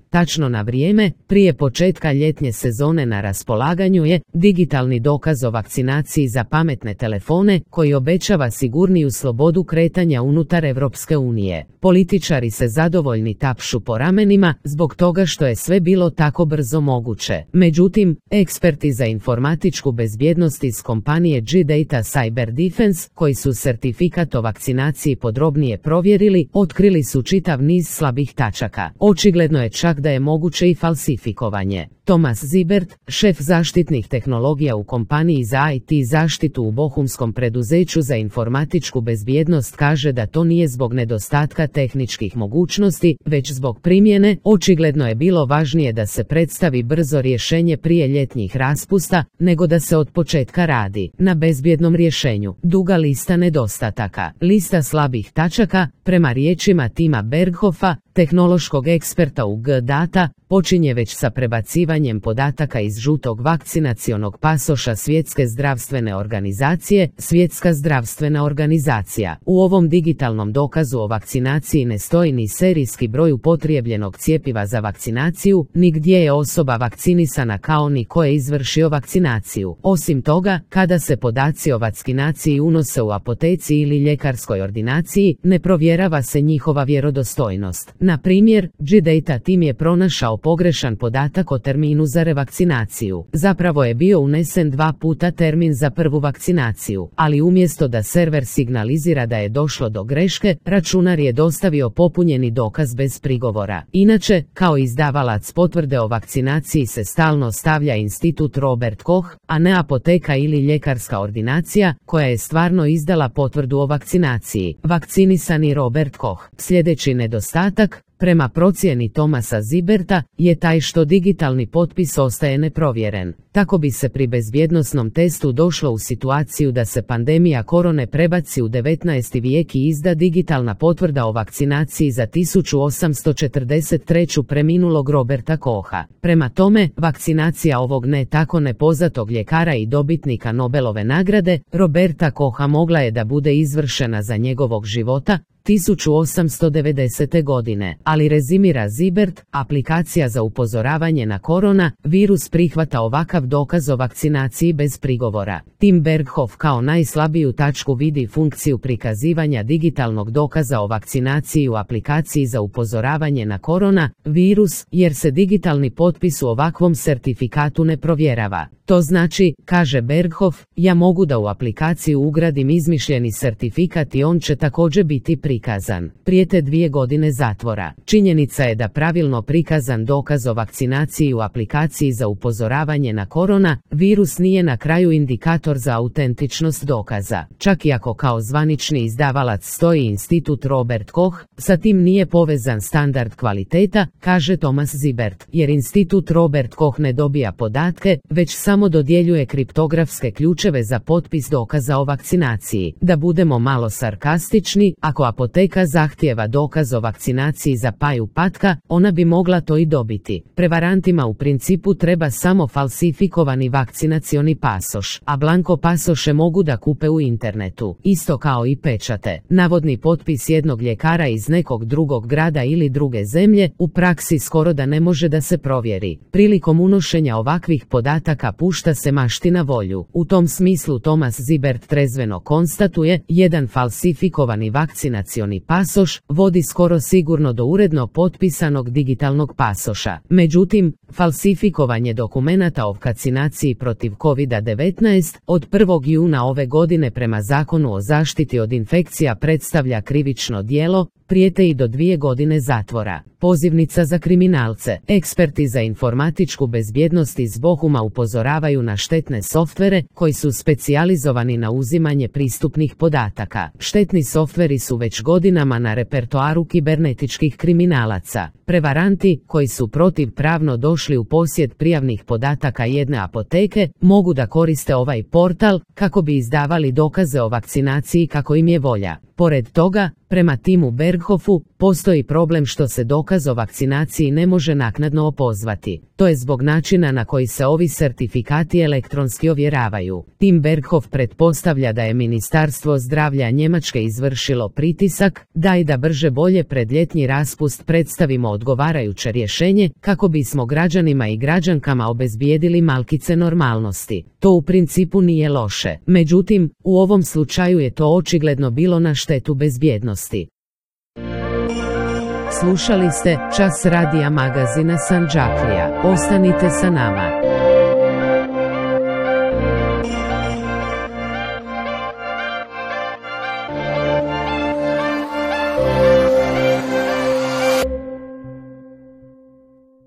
Tačno na vrijeme, prije početka ljetnje sezone na raspolaganju je digitalni dokaz o vakcinaciji za pametne telefone koji obećava sigurniju slobodu kretanja unutar Europske unije. Političari se zadovoljni tapšu po ramenima zbog toga što je sve bilo tako brzo moguće. Međutim, eksperti za informatičku bezbjednost iz kompanije G-Data Cyber Defense, koji su certifikat o vakcinaciji podrobnije provjerili, otkrili su čitav niz slabih tačaka. Očigledno je čak da je moguće i falsifikovanje. Thomas Zibert, šef zaštitnih tehnologija u kompaniji za IT zaštitu u bohumskom preduzeću za informatičku bezbjednost, kaže da to nije zbog nedostatka tehničkih mogućnosti, već zbog primjene. Očigledno je bilo važnije da se predstavi brzo rješenje prije ljetnjih raspusta, nego da se od početka radi na bezbjednom rješenju. Duga lista nedostataka. Lista slabih tačaka, prema riječima Tima Berghofa, tehnološkog eksperta u G-Data, počinje već sa prebacivanjem podataka iz žutog vakcinacionog pasoša Svjetske zdravstvene organizacije. Svjetska zdravstvena organizacija. U ovom digitalnom dokazu o vakcinaciji ne stoji ni serijski broj upotrebljenog cjepiva za vakcinaciju, ni gdje je osoba vakcinisana kao ni ko je izvršio vakcinaciju. Osim toga, kada se podaci o vakcinaciji unose u apoteci ili ljekarskoj ordinaciji, ne provjerava se njihova vjerodostojnost. Na primjer, G-Data tim je pronašao pogrešan podatak o terminu za revakcinaciju. Zapravo je bio unesen 2 puta termin za prvu vakcinaciju, ali umjesto da server signalizira da je došlo do greške, računar je dostavio popunjeni dokaz bez prigovora. Inače, kao izdavalac potvrde o vakcinaciji se stalno stavlja institut Robert Koch, a ne apoteka ili ljekarska ordinacija, koja je stvarno izdala potvrdu o vakcinaciji. Vakcinisani Robert Koch. Sljedeći nedostatak, prema procjeni Thomasa Ziberta, je taj što digitalni potpis ostaje neprovjeren. Tako bi se pri bezbjednosnom testu došlo u situaciju da se pandemija korone prebaci u 19. vijek i izda digitalna potvrda o vakcinaciji za 1843. preminulog Roberta Kocha. Prema tome, vakcinacija ovog ne tako nepoznatog ljekara i dobitnika Nobelove nagrade, Roberta Kocha, mogla je da bude izvršena za njegovog života, 1890. godine, ali rezimira Zibert, aplikacija za upozoravanje na korona virus prihvata ovakav dokaz o vakcinaciji bez prigovora. Tim Berghof kao najslabiju tačku vidi funkciju prikazivanja digitalnog dokaza o vakcinaciji u aplikaciji za upozoravanje na korona virus, jer se digitalni potpis u ovakvom certifikatu ne provjerava. To znači, kaže Berghof, ja mogu da u aplikaciju ugradim izmišljeni certifikat i on će također biti prikazan. Prijete 2 godine zatvora. Činjenica je da pravilno prikazan dokaz o vakcinaciji u aplikaciji za upozoravanje na korona virus nije na kraju indikator za autentičnost dokaza. Čak i ako kao zvanični izdavalac stoji institut Robert Koch, sa tim nije povezan standard kvaliteta, kaže Thomas Zibert, jer institut Robert Koch ne dobija podatke, već samo dodjeljuje kriptografske ključeve za potpis dokaza o vakcinaciji. Da budemo malo sarkastični, ako apoteka zahtijeva dokaz o vakcinaciji za paju patka, ona bi mogla to i dobiti. Prevarantima u principu treba samo falsifikovani vakcinacioni pasoš, a blanko pasoše mogu da kupe u internetu, isto kao i pečate. Navodni potpis jednog ljekara iz nekog drugog grada ili druge zemlje u praksi skoro da ne može da se provjeri. Prilikom unošenja ovakvih podataka pušta se mašti na volju. U tom smislu Thomas Zibert trezveno konstatuje, jedan falsifikovani vakcinacioni pasoš vodi skoro sigurno do uredno potpisanog digitalnog pasoša. Međutim, falsifikovanje dokumenata o vakcinaciji protiv COVID-19 od 1. juna ove godine prema Zakonu o zaštiti od infekcija predstavlja krivično djelo, prijete i do 2 godine zatvora. Pozivnica za kriminalce. Eksperti za informatičku bezbjednost iz Bohuma upozoravaju na štetne softvere koji su specijalizovani na uzimanje pristupnih podataka. Štetni softveri su već godinama na repertoaru kibernetičkih kriminalaca. Prevaranti, koji su protivpravno došli u posjed prijavnih podataka jedne apoteke, mogu da koriste ovaj portal kako bi izdavali dokaze o vakcinaciji kako im je volja. Pored toga, prema Timu Berghofu, Berghofu, postoji problem što se dokaz o vakcinaciji ne može naknadno opozvati. To je zbog načina na koji se ovi sertifikati elektronski ovjeravaju. Tim Berghof pretpostavlja da je Ministarstvo zdravlja Njemačke izvršilo pritisak, da brže bolje pred ljetni raspust predstavimo odgovarajuće rješenje, kako bismo građanima i građankama obezbijedili malkice normalnosti. To u principu nije loše. Međutim, u ovom slučaju je to očigledno bilo na štetu bezbjednosti. Slušali ste Čas radija magazina Sandžaklija. Ostanite sa nama.